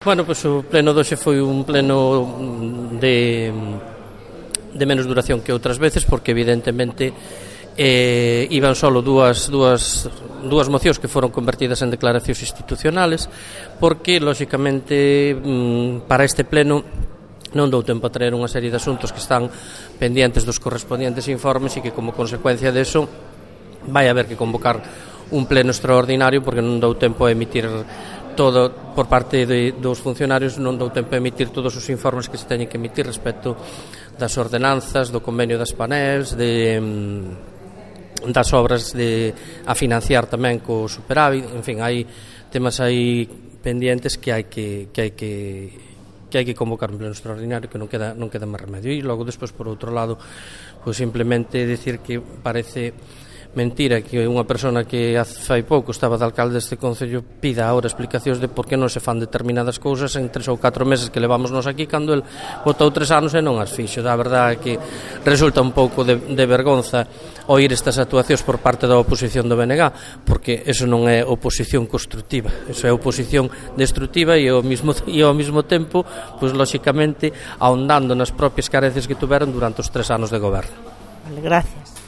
Bueno, pois o pleno doxe foi un pleno de menos duración que outras veces, porque evidentemente iban solo dúas mocións que foron convertidas en declaracións institucionales, porque, lóxicamente, para este pleno non dou tempo a traer unha serie de asuntos que están pendientes dos correspondientes informes e que, como consecuencia deso, vai haber que convocar un pleno extraordinario, porque non dou tempo a emitir todo por parte dos funcionarios, non dou tempo a emitir todos os informes que se teñen que emitir respecto das ordenanzas, do convenio das Panels, das obras a financiar tamén co superávit. En fin, hai temas aí pendientes que hai que convocar un pleno extraordinario, que non queda máis remedio. E logo despois, por outro lado, pois simplemente decir que parece mentira que unha persona que fai pouco estaba de alcalde deste concello pida agora explicacións de por que non se fan determinadas cousas en 3 ou 4 meses que levamos nos aquí, cando el botou 3 anos e non as fixo. Da verdade que resulta un pouco de vergonza oír estas actuacións por parte da oposición do BNG, porque eso non é oposición constructiva, eso é oposición destructiva e ao mesmo tempo, pois lóxicamente ahondando nas propias carencias que tuveron durante os 3 anos de goberno. Vale, gracias.